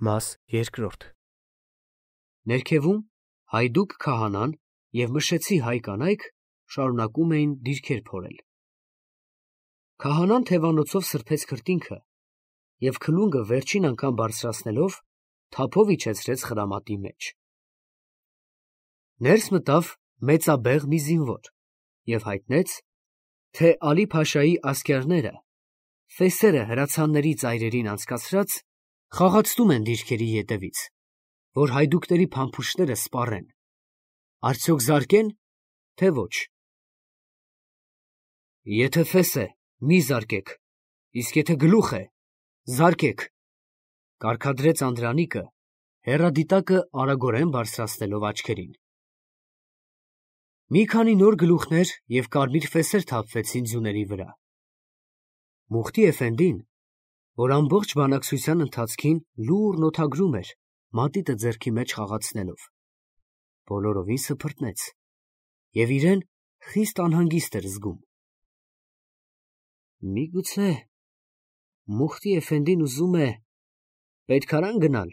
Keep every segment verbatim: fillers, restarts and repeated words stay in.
Մաս երկրորդ Ներքևում հայդուկ քահանան և մշեցի հայ կանայք շարունակում էին դիրքեր փորել։ Քահանան թևանոցով սրբեց քրտինքը և քլունգը վերջին անգամ բարձրացնելով թափով իջեցրեց խրամատի մեջ։ Ներս մտավ մեծաբեղ մի զինվոր և հայտնեց, թե Ալի-Փաշայի ասկերները ֆեսերը հրացանների ծայրերին անցկացրած խաղացնում են դիրքերի ետևից, որ հայդուկների փամփուշտները սպառեն, արդյոք զարկեն, թե ոչ։ Եթե ֆես է, մի զարկեք, իսկ եթե գլուխ է, զարկեք, կարգադրեց Անդրանիկը, հեռադիտակը արագորեն բարձրացնելով աչքերին։ Մի քանի նոր գլուխներ և կարմիր ֆեսեր թափվեցին ձյուների վրա։ Մուխտի էֆենդին, որ ամբողջ բանակցության ընթացքին լուռն օդագրում էր, մատիտը ձեռքի մեջ խաղացնելով, բոլորովին սփռտնեց և իրեն խիստ անհանգիստ էր զգում։ Միգուցե Մուխտի էֆենդին ուզում է պետքարան գնալ,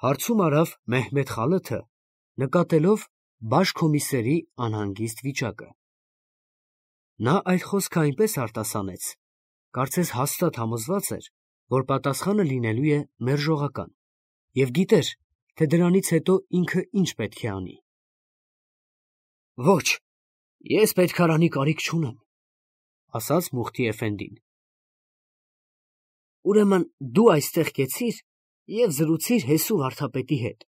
հարցում արավ Մեհմեդ խալաթը, նկատելով բաշ֊քոմիսերի անհանգիստ վիճակը։ Նա այդ խոսքը այնպես արտասանեց, կարծես հաստատ համոզված էր, որ պատասխանը լինելու է մերժողական, և գիտեր, թե դրանից հետո ինքը ինչ պետք է անի։ Ոչ, ես պետքարանի կարիք չունեմ, ասաց Մուխտի էֆենդին։ Ուրեմն դու այստեղ կեցիր և զրուցիր Հեսու վարդապետի հետ,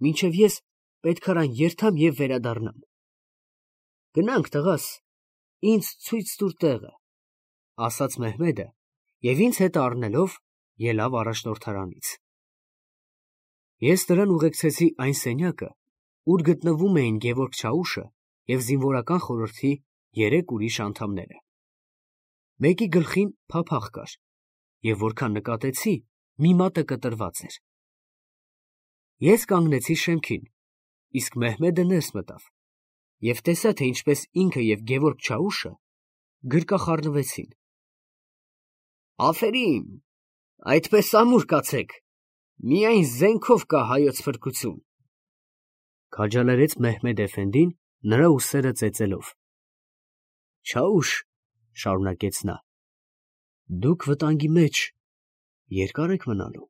մինչև ես պետքարան երթամ և վերադառնամ։ Գնանք, տղաս, ինձ ցույց տուր տեղը, ասաց Մեհմեդը և ինձ հետ առնելով ելավ առաջնորդարանից։ Ես նրան ուղեկցեցի այն սենյակը, ուր գտնվում էին Գևորգ Չաուշը և զինվորական խորհրդի երեք ուրիշ անդամները։ Մեկի գլխին փափախ կար, և որքան նկատեցի, մի մատը կտրված էր։ Ես կանգնեցի շեմքին, իսկ Մեհմեդը ներս մտավ և տեսա, թե ինչպես ինքը և Գևորգ Չաուշը գրկախառնվեցին։ Աֆերիմ, այդպես ամուր կացեք, միայն զենքով կա հայոց փրկություն, քաջալերեց Մեհմեդ էֆենդին, նրա ուսերը ծեծելով։ Չաուշ, շարունակեց նա, դուք վտանգի մեջ երկա՞ր եք մնալու։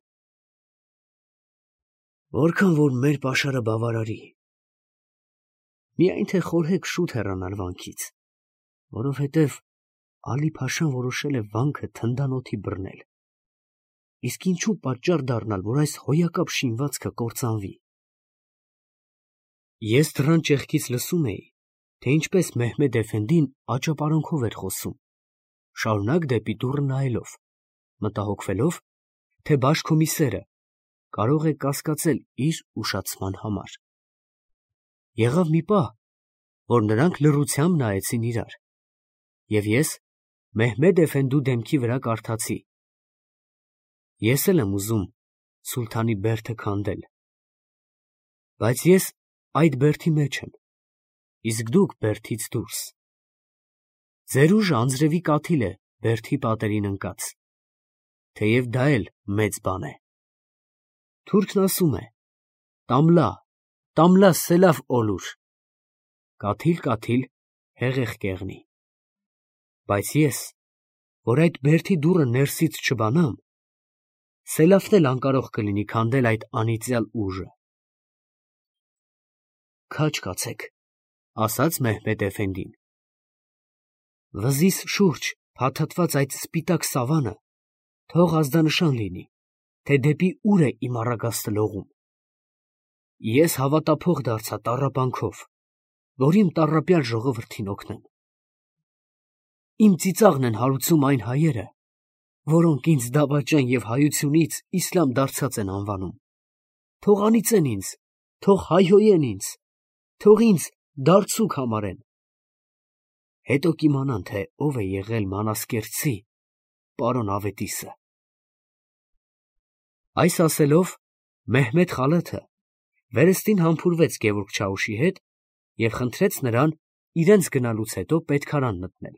Որքան որ մեր պաշարը բավարարի, միայն թե խորհեք շուտ հեռանալ վանքից, որովհետև Ալի-Փաշան որոշել է վանքը թնդանոթի բռնել, իսկ ինչու պատճառ դառնալ, որ այս հոյակապ շինվածքը կործանվի։ Ես դռան ճեղքից լսում էի, թե ինչպես Մեհմեդ էֆենդին աճապարանքով էր խոսում, շարունակ դեպի դուռը նայելով, մտահոգվելով, թե բաշ-քոմիսերը կարող է կասկածել իր ուշացման համար։ Եղավ մի պահ, որ նրանք լռությամբ նայեցին իրար, և ես Մեհմեդ էֆենդու դեմքի վրա կարդացի. Ես էլ եմ ուզում սուլթանի բերդը քանդել, բայց ես այդ բերդի մեջ եմ, իսկ դուք բերդից դուրս։ Ձեր ուժը անձրևի կաթիլ է բերդի պատերին ընկած, թեև դա էլ մեծ բան է։ Թուրքն ասում է. «Տամլա, տամլա սելավ օլուր», կաթիլ, կաթիլ, հեղեղ կեղնի։ Բայց ես, որ այդ բերդի դուռը ներսից չբանամ, սելավն էլ անկարող կլինի քանդել այդ անիծյալ ուժը։ Քաջ կացեք, ասաց Մեհմեդ էֆենդին։ Վզիս շուրջ փաթաթված այդ սպիտակ սավանը թող ազդանշան լինի, թե դեպի ուր է իմ առագաստը լողում։ Ես հավատափող դարձա տառապանքով, որ իմ տառապյալ ժողովրդին օգնեմ։ Իմ ծիծաղն են հարուցում այն հայերը, որոնք ինձ դավաճան և հայությունից իսլամ դարձած են անվանում։ Թող անիծեն ինձ, թող հայհոյեն ինձ, թող ինձ դարձուկ համարեն։ Հետո կիմանան, թե ով է եղել մանասկերտցի պարոն Ավետիսը։ Այս ասելով, Մեհմեդ խալաթը վերստին համբուրվեց Գևորգ Չաուշի հետ և խնդրեց նրան իրենց գնալուց հետո պետքարան մտնել։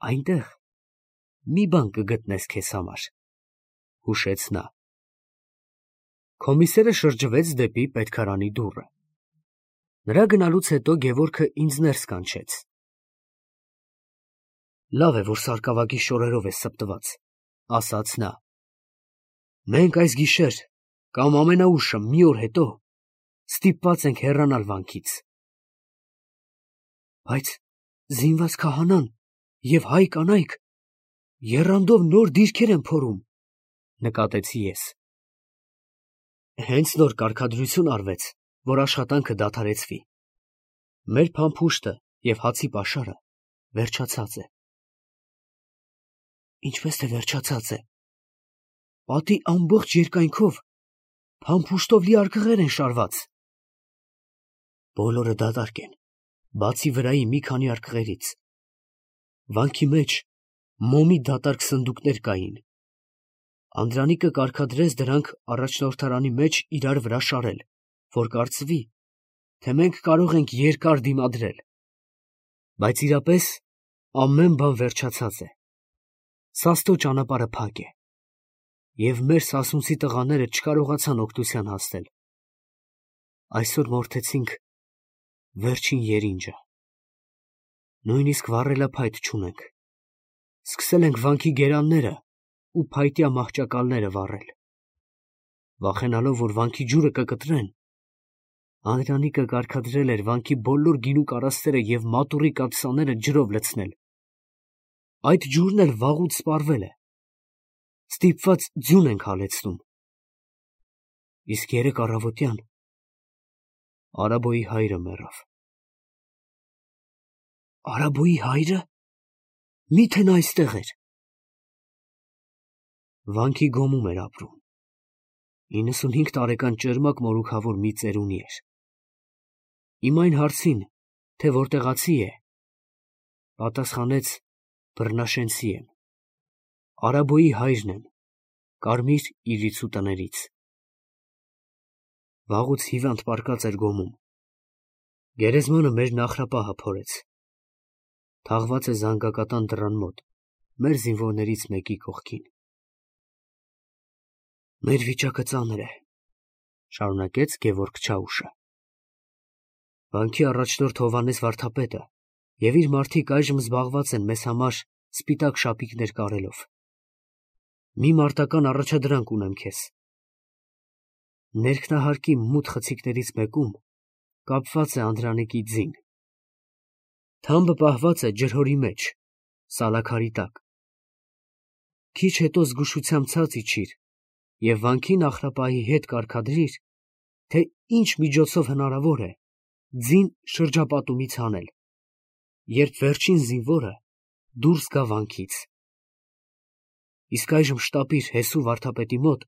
Այնտեղ մի բան կգտնես քեզ համար, հուշեց նա։ Կոմիսերը շրջվեց դեպի պետքարանի դուռը։ Նրա գնալուց հետո Գևորգը ինձ ներս կանչեց։ Լավ է, որ սարկավագի շորերով է սպտված, ասաց նա։ Մենք այս գիշեր կամ ամենաուշը մի օր հետո ստիպված ենք հեռանալ վանքից։ Բայց զինված քահանան և հայ կանայք եռանդով նոր դիրքեր են փորում, նկատեցի ես։ Հենց նոր կարգադրություն արվեց, որ աշխատանքը դադարեցվի։ Մեր փամփուշտը և հացի պաշարը վերջացած է։ Ինչպես թե վերջացած է։ Պատի ամբողջ երկայնքով փամփուշտով լի արկղեր են շարված։ Բոլորը դատարկ են, բացի վրայի մի քանի արկղերից։ Վանքի մեջ մոմի դատարկ սնդուկներ կային։ Անդրանիկը կարգադրեց դրանք առաջնորդարանի մեջ իրար վրա շարել, որ կարծվի, թե մենք կարող ենք երկար դիմադրել։ Բայց իրապես ամեն բան վերջացած է։ Սաստո ճանապարհը փակ է, և մեր սասունցի տղաները չկարողացան օգնության հասնել։ Այսօր մորթեցինք վերջին երինջը։ Նույնիսկ վառելափայտ չունենք։ Սկսել ենք վանքի գերանները ու փայտյա մահճակալները վառել։ Վախենալով, որ վանքի ջուրը կկտրեն, Անդրանիկը կարգադրել էր վանքի բոլոր գինու կարասները և մատուռի կաթսաները ջրով լցնել։ Այդ ջուրն էլ վաղուց սպառվել է։ Ստիպված ձյուն ենք հալեցնում։ Իսկ երեկ առավոտյան Արաբոյի հայրը մեռավ։ Արաբոյի հայրը։ Մի՞թե նա այստեղ էր։ Վանքի գոմում էր ապրում։ իննսունհինգ տարեկան ճերմակ մորուքավոր մի ծերունի էր։ Իմ այն հարցին, թե որտեղացի է, պատասխանեց բռնաշենցի եմ։ Արաբոյի հայրն եմ, կարմիր իրիցու տներից։ Վաղուց հիվանդ պառկած էր գոմում։ Գերեզմանը մեր նախրապահը փորեց։ Թաղված է զանգակատան դռան մոտ, մեր զինվորներից մեկի կողքին։ Մեր վիճակը ծանր է, շարունակեց Գևորգ Չաուշը։ Վանքի առաջնորդ Հովհաննես վարդապետը և իր մարդիկ այժմ զբաղված են մեզ համար սպիտակ շապիկներ կարելով։ Մի մարտական առաջադրանք ունեմ քեզ։ Ներքնահարկի մութ խցիկներից մեկում կապված է Անդրանիկի ձին։ Թամբը պահված է ջրհորի մեջ, սալաքարի տակ։ Քիչ հետո զգուշությամբ ցած իջիր և վանքի նախրապահի հետ կարգադրիր, թե ինչ միջոցով հնարավոր է ձին շրջապատումից հանել, երբ վերջին զինվորը դուրս գա վանքից։ Իսկ այժմ շտապիր Հեսու վարդապետի մոտ,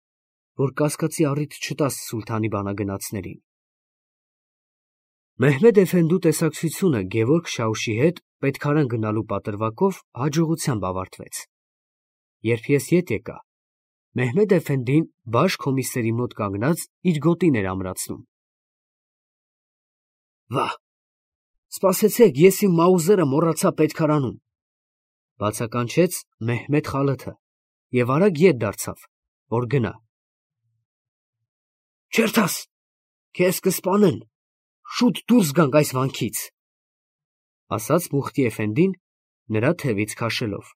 որ կասկածի առիթ չտաս սուլթանի բանագնացներին։ Մեհմեդ էֆենդու տեսակցությունը Գևորգ Շաուշի հետ պետքարան գնալու պատրվակով հաջողությամբ ավարտվեց։ Երբ ես ետ եկա, Մեհմեդ էֆենդին բաշ կոմիսերի մոտ կանգնած իր գոտին էր ամրացնում։ Վա՜, սպասեցեք, ես իմ մաուզերը մոռացա պետքարանում, բացականչեց Մեհմեդ խալաթը և արագ ետ դարձավ, որ գնա։ Չերթաս, քեզ կսպանեն, շուտ դուրս գանք այս վանքից, ասաց Մուխտի էֆենդին նրա թևից քաշելով։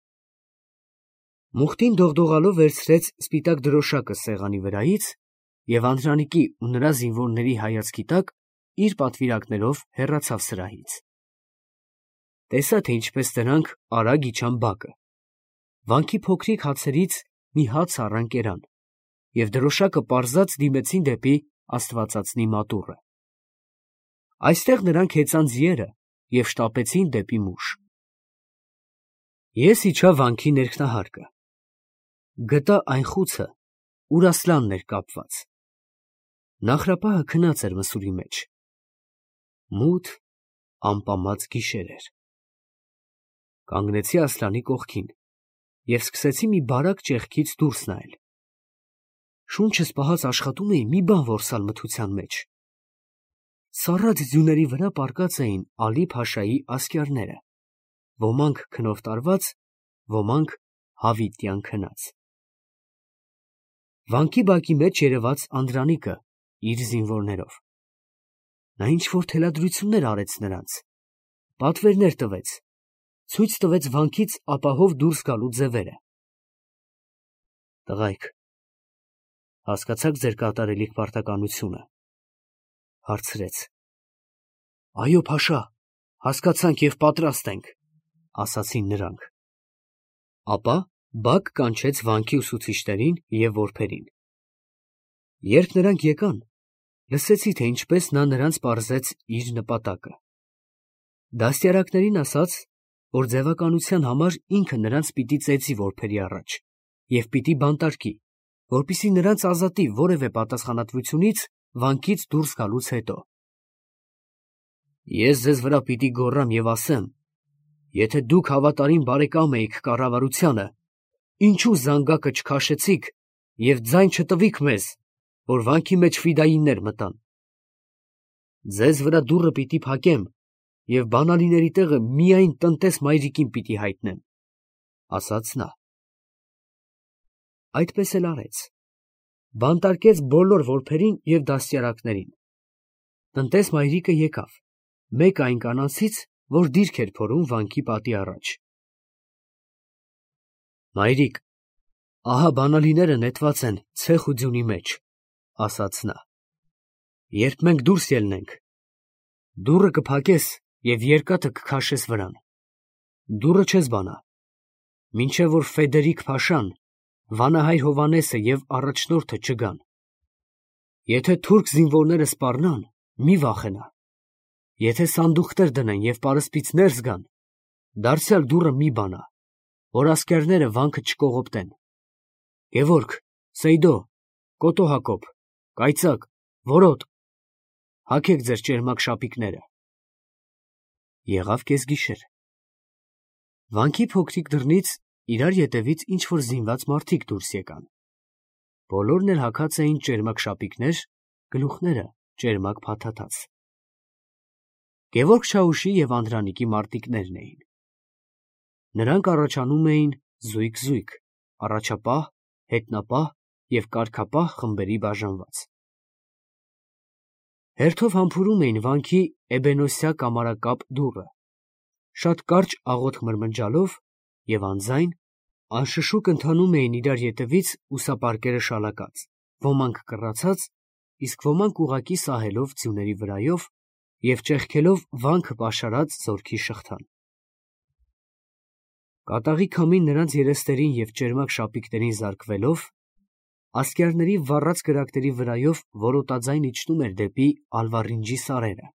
Մուխտին դողդողալով վերցրեց սպիտակ դրոշակը սեղանի վրայից և Անդրանիկի ու նրա զինվորների հայացքի տակ իր պատվիրակներով հեռացավ սրահից։ Տեսա, թե ինչպես նրանք արագ իջան բակը։ Վանքի փոքրիկ հացերից մի հաց առան կերան և դրոշակը պարզած դիմեցին դեպի աստվածածնի մատուռը։ Այստեղ նրանք հեծան ձիերը և շտապեցին դեպի Մուշ։ Ես իջա վանքի ներքնահարկը։ Գտա այն խուցը, ուր Ասլանն էր կապված։ Նախրապահը քնած էր մսուրի մեջ։ Մութ, ամպամած գիշեր էր։ Կանգնեցի Ասլանի կողքին և սկսեցի մի բարակ ճեղքից դուրս նայել։ Շունչս պահած աշխատում էի մի բան որսալ մթության մեջ։ Սառած ձյուների վրա պառկած էին Ալի֊Փաշայի ասկյարները, ոմանք քնով տարված, ոմանք հավիտյան քնած։ Վանքի բակի մեջ երևաց Անդրանիկը իր զինվորներով։ Նա ինչ-որ թելադրություններ արեց նրանց, պատվերներ տվեց, ցույց տվեց վանքից ապահով դուրս գալու ձևերը։ Տղայք, հասկացա՞ք ձեր կատարելիք պարտականությունը, հարցրեց։ Այո, փաշա, հասկացանք և պատրաստ ենք, ասացին նրանք։ Ապա բակ կանչեց վանքի ուսուցիչներին և որբերին։ Երբ նրանք եկան, լսեցի, թե ինչպես նա նրանց պարզեց իր նպատակը։ Դաստիարակներին ասաց, որ ձևականության համար ինքը նրանց պիտի ծեծի որբերի առաջ և պիտի բանտարկի, որպեսզի նրանց ազատի որևէ պատասխանատվությունից վանքից դուրս գալուց հետո։ Ես ձեզ վրա պիտի գոռամ և ասեմ, եթե դուք հավատարիմ բարեկամ էիք կառավարությանը, ինչու զանգակը չքաշեցիք և ձայն չտվիք մեզ, որ վանքի մեջ ֆիդայիններ մտան։ Ձեզ վրա դուռը պիտի փակեմ և բանալիների տեղը միայն տնտես մայրիկին պիտի հայտնեմ, ասաց նա։ Այդպես էլ արեց, բանտարկեց բոլոր որբերին և դաստիարակներին։ Տնտես մայրիկը եկավ, մեկ այն կանանցից, որ դիրք էր փորում վանքի պատի առաջ։ Մայրիկ, ահա բանալիները նետված են ցեխ ու ձյունի մեջ, ասաց նա։ Երբ մենք դուրս ելնենք, դուռը կփակես և երկաթը կքաշես վրան։ Դուռը չես բանա, մինչև որ Ֆեդերիկ փաշան, վանահայր Հովհաննեսը և առաջնորդը չգան։ Եթե թուրք զինվորները սպառնան, մի վախենա։ Եթե սանդուղքներ դնեն և պարսպից ներս գան, դարձյալ դուռը մի բանա, որ ասկերները վանքը չկողոպտեն։ Գևորգ, Սեյդո, Կոտո Հակոբ, Կայծակ, Որոտ, հագեք ձեր ճերմակ շապիկները։ Եղավ կեսգիշեր։ Վանքի փոքրիկ դռնից իրար ետևից ինչ-որ զինված մարդիկ դուրս եկան։ Բոլորն էլ հագած էին ճերմակ շապիկներ, գլուխները ճերմակ փաթաթած։ Գևորգ Չաուշի և Անդրանիկի մարտիկներն էին։ Նրանք առաջանում էին զույգ-զույգ, առաջապահ, հետնապահ և կարգապահ խմբերի բաժանված։ Հերթով համբուրում էին վանքի էբենոսյա կամարակապ դուռը, շատ կարճ աղոթք մրմնջալով և անձայն, անշշուկ ընթանում էին իրար ետևից ուսապարկերը շալակած, ոմանք կռացած, իսկ ոմանք ուղղակի սահելով ձյուների վրայով և ճեղքելով վանքը պաշարած զորքի շղթան։ Կատաղի քամին նրանց երեսներին և ճերմակ շապիկներին զարկվելով, ասկերների վառած կրակների վրայով որոտաձայն իջնում էր դեպի Ալվարինջի սարերը։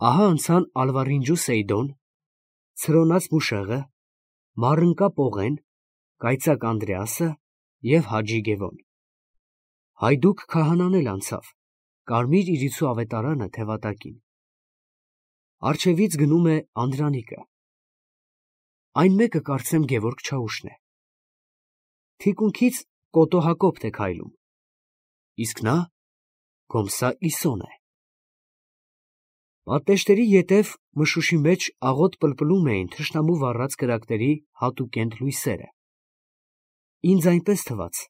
Ահա անցան Ալվարինջու Սեյդոն, Ցրոնած Մուշեղը, Մարընկա Պողեն, Կայծակ Անդրեասը և Հաջի Գևոն։ Հայդուկ քահանան էլ անցավ, կարմիր իրիցու ավետարանը թևատակին։ Առջևից գնում է Անդրանիկը։ Այն մեկը կարծեմ Գևորգ Չաուշն է։ Թիկունքից Կոտո Հակոբն է քայլում, իսկ նա Կոմսա Իսոն է։ Պատնեշների ետև մշուշի մեջ աղոտ պլպլում էին թշնամու վառած կրակների հատուկենտ լույսերը։ Ինձ այնպես թվաց,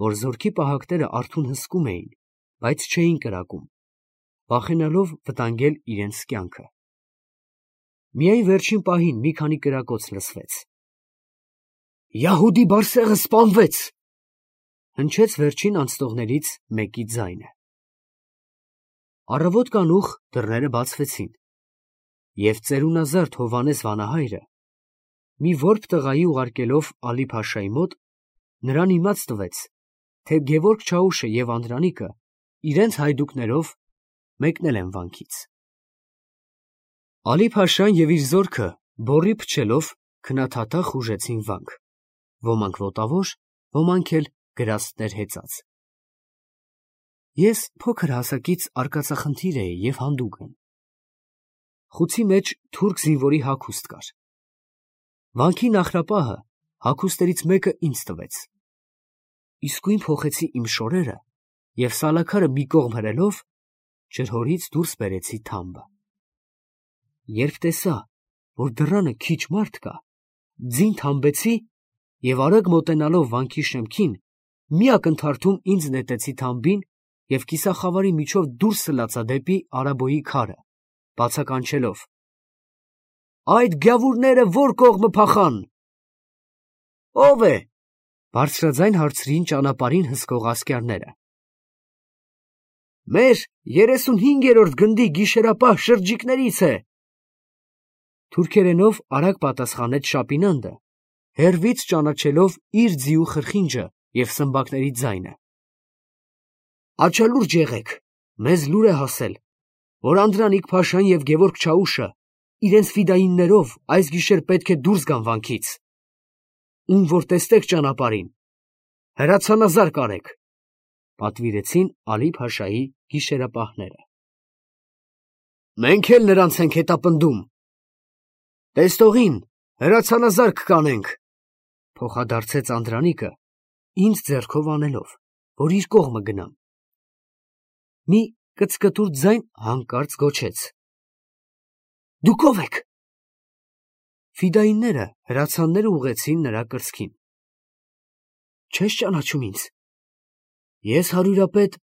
որ զորքի պահակները արթուն հսկում էին, բայց չէին կրակում, վախենալով վտանգել իրենց կյանքը։ Միայն վերջին պահին մի քանի կրակոց լսվեց։ «Յահուդի բարսեղը սպանվեց», հնչեց վերջին անցնողներից մեկի ձայնը։ Առավոտ կանուխ դռները բացվեցին, և ծերունազարդ Հովհաննես վանահայրը, մի որբ տղայի ուղարկելով Ալի֊Փաշայի մոտ, նրան իմաց տվեց, թե Գևորգ Չաուշը և Անդրանիկը իրենց հայդուկներով մեկնել են վանքից։ Ալի֊Փաշան և իր զորքը բոռի փչելով քնաթաթախ ուժեցին վանք, ոմանք ոտավոր, ոմանք էլ գրաստներ հեծած։ Ես փոքր հասակից արկածախնդիր էի և հանդուգն։ Խուցի մեջ թուրք զինվորի հագուստ կար։ Վանքի նախրապահը հագուստներից մեկը ինձ տվեց։ Իսկույն փոխեցի իմ շորերը և սալաքարը մի կողմ հրելով, ջրհորից դուրս բերեցի թամբը։ Երբ տեսա, որ դռանը քիչ մարդ կա, ձին թամբեցի և արագ մոտենալով վանքի շեմքին, մի ակնթարթում ինձ նետեցի թամբին և կիսախավարի միջով դուրս սլացա դեպի Արաբոյի քարը, բացականչելով. «Այդ գյավուրները ո՞ր կողմը փախան»։ «Ո՞վ է», բարձրաձայն հարցրին ճանապարհին հսկող ասկյարները։ «Մեր երեսունհինգերորդ գնդի գիշերապահ շրջիկներից է», թուրքերենով արագ պատասխանեց Շապինանդը, հեռվից ճանաչելով իր ձիու խրխինջը և սմբակների ձայնը։ «Աչալուրջ եղեք, մեզ լուր է հասել, որ Անդրանիկ֊փաշան և Գևորգ Չաուշը իրենց ֆիդայիններով այս գիշեր պետք է դուրս գան վանքից։ Ում որ տեսնեք ճանապարհին, հրացանազարկ արեք», պատվիրեցին Ալի֊Փաշայի գիշերապահները։ «Մենք էլ նրանց ենք հետապնդում։ Տեսնողին հրացանազարկ կանենք», փոխադարձեց Անդրանիկը, ինձ ձեռքով անելով, որ իր կողմը գնամ։ Մի կծկտուր ձայն հանկարծ գոչեց. «Դուք ո՞վ եք»։ Ֆիդայինները հրացանները ուղղեցին նրա կրծքին։ «Չես ճանաչում ինձ։ Ես հարյուրապետ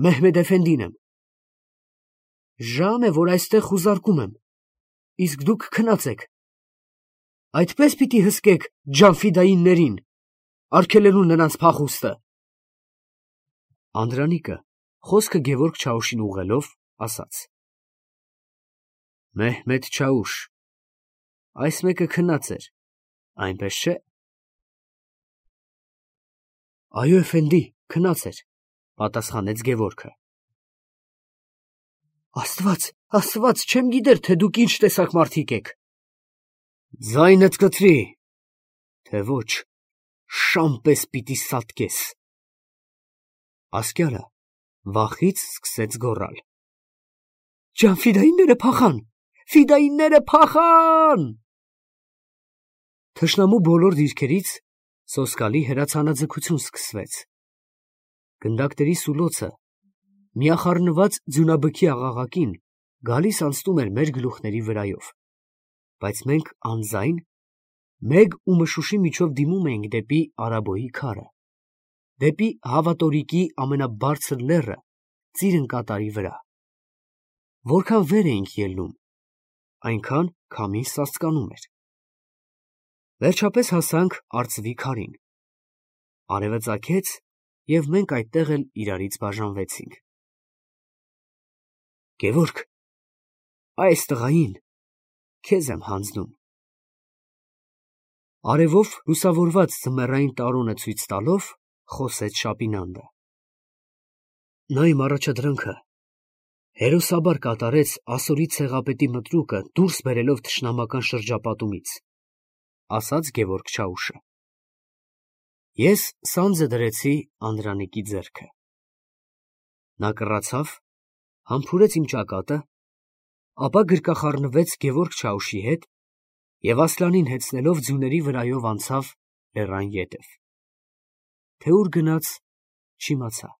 Մեհմեդ Էֆենդին եմ։ Ժամ է, որ այստեղ խուզարկում եմ, իսկ դուք քնած եք։ Այդպես պիտի հսկեք ջանֆիդայիններին, արգելելու նրանց փախուստը»։ Անդրանիկը, խոսքը Գևորգ Չաուշին ուղղելով, ասաց. «Մեհմեդ Չաուշ, այս մեկը քնած էր, այնպես չէ՞։ «Այո, Էֆենդի, քնած էր», պատասխանեց Գևորգը։ «Աստված, Աստված, չեմ գիտեր, թե դուք ինչ տեսակ մարդիկ եք»։ «Ձայնդ կտրի, թե ոչ շան պես պիտի սատկես»։ Ասկյարը վախից սկսեց գոռալ. «Ջանֆիդայինները փախան, ֆիդայինները փախան»։ Թշնամու բոլոր դիրքերից սոսկալի հրացանաձգություն սկսվեց։ Գնդակների սուլոցը, միախառնված ձյունաբքի աղաղակին, գալիս անցնում էր մեր գլուխների վրայով, բայց մենք անձայն մեկ ու մշուշի միջով դիմում էինք դեպի Արաբոյի քարը, դեպի Հավատորիկի ամենաբարձր լեռը ծիրն կատարի վրա։ Որքան վեր էինք ելնում, այնքան քամին սաստկանում էր։ Վերջապես հասանք արծվի քարին։ Արևը ծագեց, և մենք այդտեղ էլ իրարից բաժանվեցինք։ «Գևորգ, այս տղային քեզ եմ հանձնում», արևով լուսավորված ձմեռային տարոնը ցույց տալով, խոսեց Շապինանդը։ «Նա իմ առաջադրանքը հերոսաբար կատարեց ասորի ցեղապետի մտրուկը դուրս բերելով թշնամական շրջապատումից», ասաց Գևորգ Չաուշը։ Ես սանձը դրեցի Անդրանիկի ձեռքը։ Նա կռացավ, համբուրեց իմ ճակատը, ապա գրկախառնվեց Գևորգ Չաուշի հետ և Ասլանին հեծնելով ձյուների վրայով անցավ լեռան ետև։ Թե ուր գնաց, չիմացա։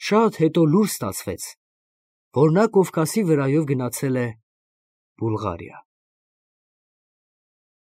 Շատ հետո լուր ստացվեց, որ նա Կովկասի վրայով գնացել է Բուլղարիա։